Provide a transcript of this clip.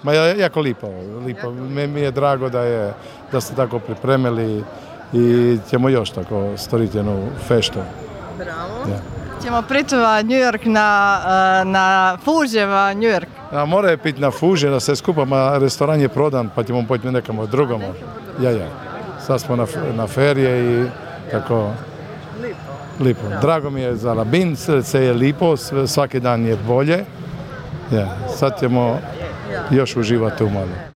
Ma jako lipo. Mi je drago da ste tako pripremili i ćemo još tako storiti jednu feštu. Bravo. Ja. Ćemo pričava New York na Fuževa New York. Mora je piti na Fuže, da se skupamo, restoran je prodan, pa ćemo pojeti nekamo drugom. Ja. Sad smo na ferije i tako lipo. Drago mi je za Labin, sve je lipo, svaki dan je bolje. Ja. Sad ćemo još uživati u malo.